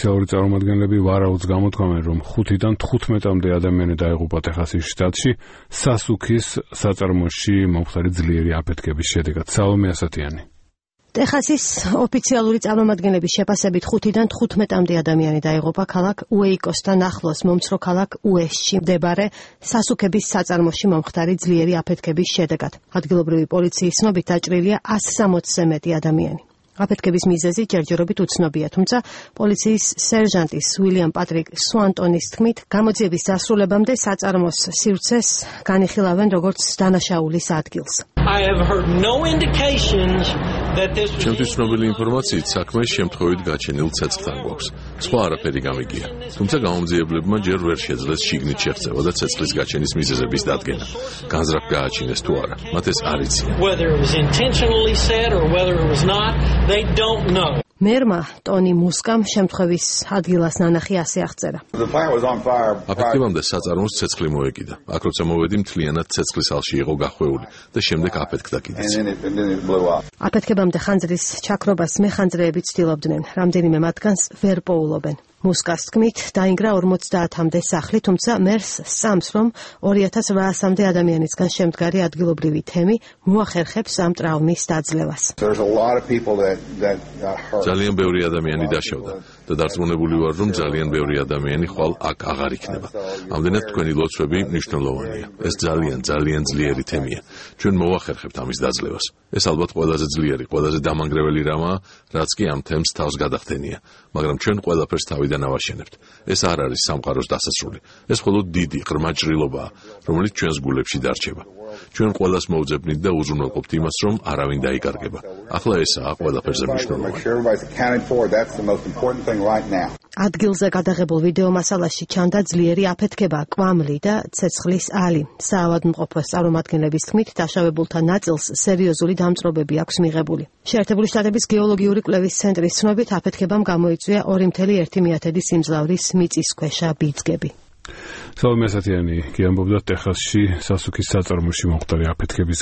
ოფიციალური წარმომადგენლები ვარაუდს გამოთქვამენ, რომ 5-დან 15-მდე ადამიანი დაიღუპა ტეხასის შტატში სასუქის საწარმოში მომხდარი ძლიერი აფეთქების შედეგად. სალომე ასათიანი. ტეხასის ოფიციალური წარმომადგენლების შეფასებით 5-დან 15-მდე ადამიანი დაიღუპა ქალაქ უეიკოსთან ახლოს მომცრო ქალაქ უესტში მდებარე სასუქების საწარმოში მომხდარი ძლიერი აფეთქების შედეგად. ადგილობრივი პოლიციის ცნობით დაჭრილია 160-ზე მეტი ადამიანი. აფეთქების მიზეზი ჯერჯერობით უცნობია, თუმცა პოლიციის სერჟანტის უილიამ პატრიკ სუანტონის თქმით, გამოძიების დასრულებამდე საწარმოს სივრცეს განიხილავენ როგორც დანაშაულის ადგილს. ჩემთვის ცნობილი ინფორმაციით საქმე შემთხვევით გაჩენილ ცეცხლთან გვაქვს. სხვა არაფერი გამიგია. თუმცა გამომძიებლებმა ჯერ ვერ შეძლეს შიგნით შეღწევა და ცეცხლის გაჩენის მიზეზების დადგენა. განზრახ გააჩინეს თუ არა, მათ ეს არ იციან. მერმა ტონი მუსკამ შემთხვევის ადგილას ნანახი ასე აღწერა. აფეთქებამდე საწარმოს ცეცხლი მოეკიდა. აქ როცა მოვედი, მთლიანად ცეცხლის ალში იყო გახვეული და შემდეგ აფეთქდა კიდეც. აფეთქებამდე ხანძრის ჩაქრობას მეხანძრეები ცდილობდნენ, რამდენიმე მათგანს ვერ პოულობენ. მუსკას თქმით, დაინგრა 50-მდე სახლი, თუმცა მერს სწამს, რომ 2800-მდე ადამიანისგან შემდგარი ადგილობრივი თემი მოახერხებს ამ ტრაუმის დაძლევას. ძალიან ბევრი ადამიანი დაშავდა და დარწმუნებული ვარ, რომ ძალიან ბევრი ადამიანი ხვალ აქ აღარ იქნება. ამდენად თქვენი ლოცვები მნიშვნელოვანია. ეს ძალიან ძლიერი თემია. ჩვენ მოვახერხებთ ამის დაძლევას. ეს ალბათ ყველაზე ძლიერი, ყველაზე დამანგრეველი რამაა, რაც კი ამ თემს თავს გადახდენია, მაგრამ ჩვენ ყველაფერს თავიდან ავაშენებთ. ეს არ არის სამყაროს დასასრული. ეს მხოლოდ დიდი ღრმა ჭრილობაა, რომელიც ჩვენს გულებში დარჩება. ჩვენ ყველას მოვძებნით და უზრუნველყოფთ იმას, რომ არავინ დაიკარგება. ახლა ესაა ყველაფერზე მნიშვნელოვანი. ადგილზე გადაღებულ ვიდეო მასალაში ჩანდა ძლიერი აფეთქება, კვამლი და ცეცხლის ალი. საავადმყოფოს წარმომადგენლების თქმით, დაშავებულთა ნაწილს სერიოზული დამწვრობები აქვს მიღებული. შეერთებული შტატების გეოლოგიური კვლევის ცენტრის ცნობით, აფეთქებამ გამოიწვია 2,1 სიმძლავრის მიწისქვეშა ბიძგები. სალომე ასათიანი კი ამბობდა ტეხასში სასუქის საწარმოში მომხდარი აფეთქების